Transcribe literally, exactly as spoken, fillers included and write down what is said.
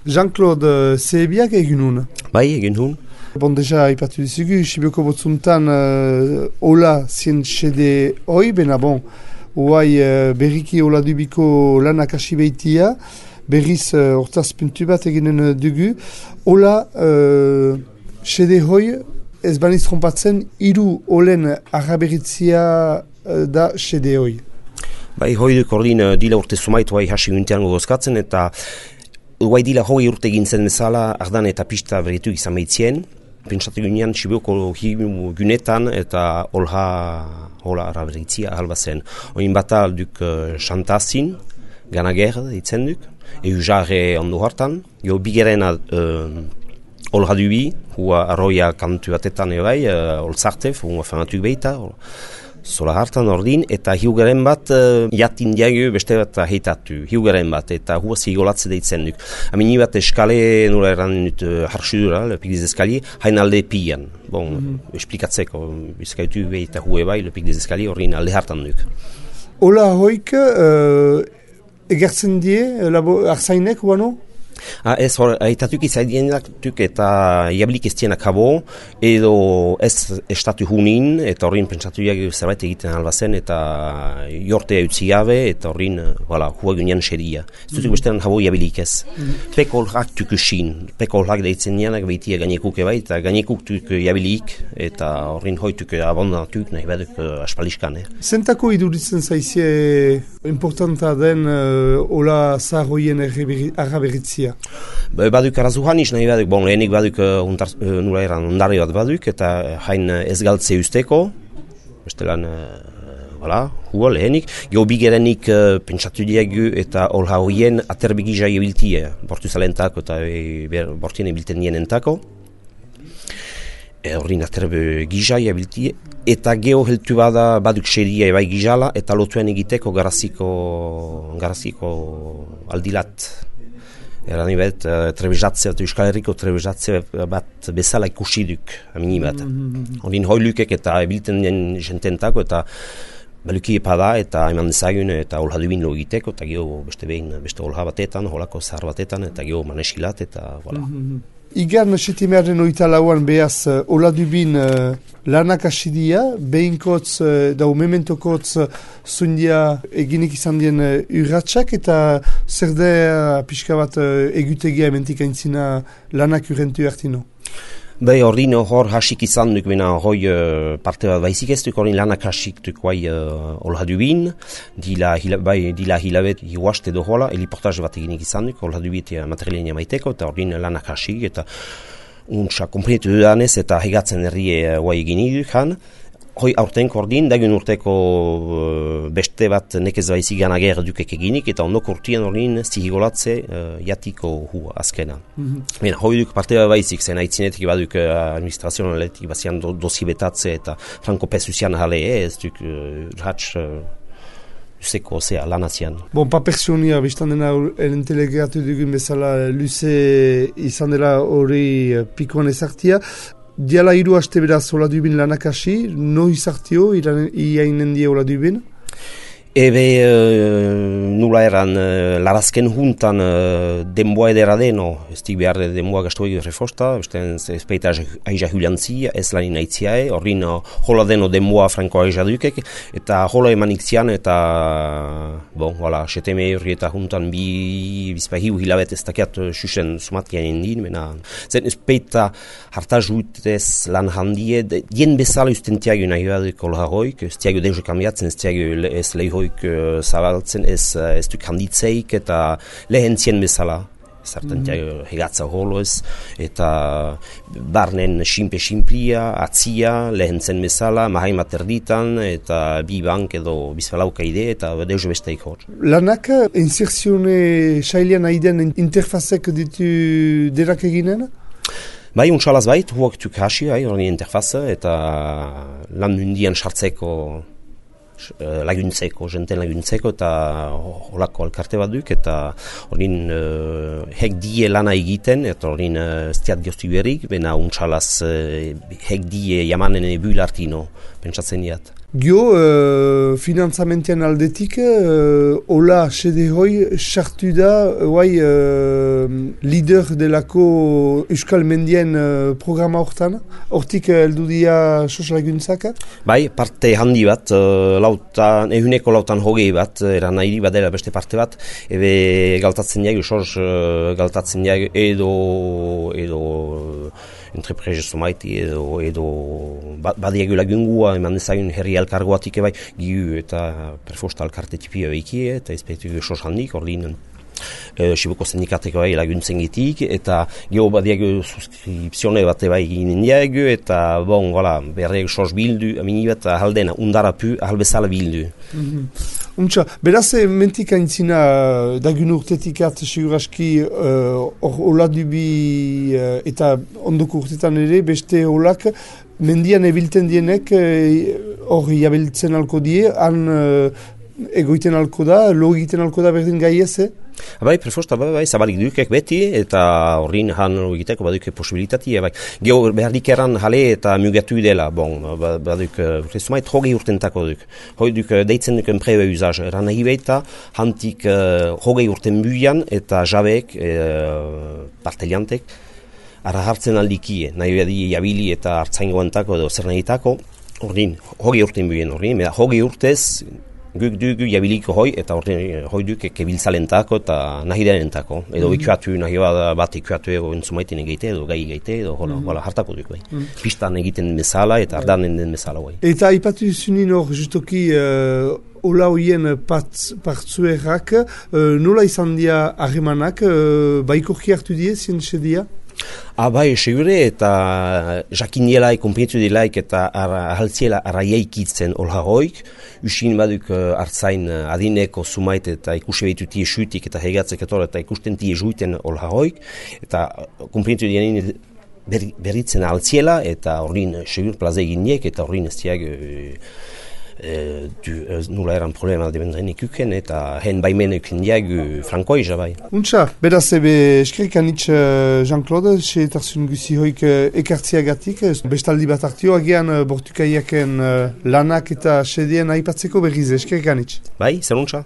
Jean-Claude Zehebiak egin hun? Bai, egin hun. Bon, deja, ipatu dizugu, Sibioko botzuntan uh, hola zien xede hoi, bena bon, hoai uh, berriki hola dubiko lanak hasi behitia, berriz uh, hortaz puntu bat eginen dugu. Hola uh, xede hoi, ez baniz trompatzen, hiru olen arraberitzia uh, da xede hoi. Bai, hoi duk ordin uh, dila urte sumaitu hai hasi guntean gogozkatzen, eta hoai dila hoi urte gintzen bezala ardan eta pista berritu izan behitzien. Pentsatu ginean Sibioko gunetan eta olha hola araberitzia ahalba zen. Oin bata duk uh, xantazin, ganager ditzen duk, egu jarre ondo hartan. Jo bigerena uh, olha dubi, hua arroia kantu batetan ebai, uh, olzartef, hua fanatuk behita, zola hartan ordin, eta hiugaren bat uh, jatin diago beste bat heitatu, hiugaren bat, eta hua zigolatze deitzen duk. Amini bat eskale nula eran dut uh, harsudura, lepik des eskali, hain alde pian. Bon, mm-hmm. Esplikatzeko, bizkaitu behita hue bai, lepik des eskali horrin alde hartan duk. Ola hoik, uh, egertzen die, labo, arzainek, huano? Ah, ez hor, haitatuk izaidienak tuk eta jablik ez dienak habo, edo ez estatu hunin, eta horrin pentsatu jak zerbait egiten albazen, eta jortea utzi gabe, eta horrin, voilà, hua gunean xeria. Ez dutuk bestean habo jabilik ez. Mm. Peko holak tuk usin, peko holak deitzen nianak behitia gainekuk eba, eta gainekuk tuk jabilik, eta horrin hoituk abondatuk nahi baduk aspaliskan. Eh. Zentako iduritzen zaizie importanta den uh, hola zahoien arraberitzia? Baduk arazuhan is nahi baduk, bon, lehenik baduk uh, untar, uh, nula eran ondari bat baduk, eta hain ez galtze usteko, bestelan, uh, voilà, hua lehenik, geho bigerenik uh, pentsatu diagu eta olha hoien aterbegizia ebiltie, bortu zalentako eta e, bortien ebilten nienentako. Horrin aterbe gizai abiltie, eta geho heltu bada baduk xeria ebai gizala, eta lotuen egiteko garaziko, garaziko aldilat. Eran ibet, uh, trebezatzea, Euskal Herriko trebezatzea bat bezala ikusi duk, amini bat. Mm-hmm. Horrin hoilukek eta ebilten den jententako, eta baluki epada, eta eman dezagun, eta olha dubin lo egiteko, eta geho beste behin, beste olha batetan, holako zahar batetan, eta geho manesilat, eta voilà. Mm-hmm. Igan setimearen oita lauan behaz uh, hola dubin uh, lanak asidia, behinkotz uh, da umementokotz uh, zundia eginik izan dien uh, urratxak, eta zer da uh, pixka bat uh, egutegia ementik aintzina lanak urrentu hartino? Bai, horrin hor hasik izan duk, bena hoi uh, parte bat baizik ez duk, horrin lanak hasik duk bai uh, olha dubin, dila, hila, bai, dila hilabet hiuaste do hola, heliportaz bat eginik izan duk, olha dubit materialenia maiteko, eta horrin lanak hasik, eta untsa komprenetu dudanez, eta hegatzen herrie guai uh, egin duk han. Hoi aurtenko ordin, dagun urteko uh, beste bat nekez baizik ganager dukek eginik, eta ondoko urtien ordin zihigolatze uh, jatiko hua azkena. Mm-hmm. Hoi duk parte bat baizik, zen haitzinetik baduk uh, administrazionaletik bazian do, dosi betatze eta franko pesuzian jale, eh, ez duk uh, ratx uh, luzeko zea lanazian. Bon, pa personia, biztan dena entelegatu dugun bezala luze izan dela hori uh, pikoan ezartia. Diala hiru haste beraz hola dubin lanak hasi, no izartio, iainen die hola dubin? Ebe, uh, nula eran, uh, larazken juntan uh, denboa edera deno, ez dik behar denboa gastoegi refosta, ez peita aiza huliantzia, ez lanin aitziae, horrin uh, hola deno denboa franko aiza dukek, eta hola emanik zian, eta, bon, wala, seteme horri eta juntan bi, bizpa hiu hilabet ez dakiat uh, susen sumatkian indin, mena, zen ez peita harta juitez lan handie, dien bezala ustentiago nahi baduk hola hoik, ez tiago deus kambiatzen, ez tiago ez lehi zabaltzen ez, ez duk handitzeik eta lehentzien bezala zartan mm-hmm. hegatza holoz eta barnen simpe-simplia, atzia, lehentzen bezala, mahaimat erditan eta bi bank edo bizpalauka ide eta deus besteik hor. Lanak inserzione sailean aiden interfazek ditu derak eginen? Bai, untsalaz bait, huak tuk hasi, hori interfaza eta lan mundian sartzeko laguntzeko, jenten laguntzeko eta holako alkarte bat duk eta horin uh, hek die lana egiten eta horin uh, stiat goztu berik, bena untsalaz uh, hek die jamanen ebul artino, pentsatzen diat. Gio, uh, finantzamentian aldetik, uh, hola sede hoi sartu da, guai, uh, lider delako Euskal Mendien uh, programa hortan, hortik heldu dia sos laguntzak? Bai, parte handi bat, uh, lautan, ehuneko lautan hogei bat, eran nahi badela beste parte bat, ebe galtatzen jaigu, sos uh, galtatzen jaigu edo, edo entreprese somaiti edo, edo badiagu lagungua, eman ezagun herri alkargoatik ebai, giu eta perfosta alkarte tipia behikie, eta ezpeitu sos handik, ordinen. E, Sibuko sindikateko bai laguntzen gitik, eta geho badiago suskripzione bat bai ginen diago, eta bon, voilà, berreak sos bildu, amini bat ahaldena, undarapu, ahalbezala bildu. Mm-hmm. Untxa, beraz, mentik aintzina dagun urtetik at, seguraski, hor uh, oladubi uh, eta ondoko urtetan ere, beste olak, mendian ebilten dienek, hor uh, jabiltzen alko die, han uh, egoiten alko da, lo egiten alko da berdin gai ez, eh? Bai, prefosta, bai, bai, zabalik dukek beti, eta horrin han egiteko baduke posibilitatea, bai. Geo behardik eran jale eta mugatu dela, bon, baduk, urtezumait, hogei urtentako duk. Hoi duk, deitzen duken prebe usaz, eran nahi baita, hantik uh, hogei urten buian, eta jabeek, uh, parteliantek, ara hartzen aldikie, nahi badi jabili eta hartzaingoantako edo zer nahitako, horrin, hogei urten buien horrin, hogei urtez, guk dugu jabiliko hoi, eta hoi duk kebiltzalentako eta nahi denentako. Edo mm-hmm. ikuatu, nahi bat ikuatu ego entzumaitin egite, edo gai egite, edo hola, mm-hmm. hola hartako duk bai. Mm-hmm. Pistan egiten den bezala eta ardanen den bezala bai. Eta ipatu zunin hor, justoki, uh, hola hoien partzuerrak, uh, nola izan dia harremanak, uh, baikorki hartu die, zientxe dia? Ah, bai, segure, eta jakinielaik, konpietu dielaik, eta ahaltziela arraiaikitzen olha hoik, usin baduk hartzain adineko sumait eta ikusi behitu tie xutik eta hegatzek etor eta ikusten tie juiten olha hoik, eta konpietu dielaik berritzen ahaltziela, eta horrin segur plaza eginiek, eta horrin ez diag E, du, nula eran problema debendren ikuken, eta hen baimen ikuken diag frankoi jabai. Untxa, beraz ebe eskerikanitz Jean-Claude, xe etarzun guzi hoik ekartziagatik, bestaldi bat hartio, agian bortukaiaken lanak eta sedien aipatzeko berriz eskerikanitz. Bai, zer untxa.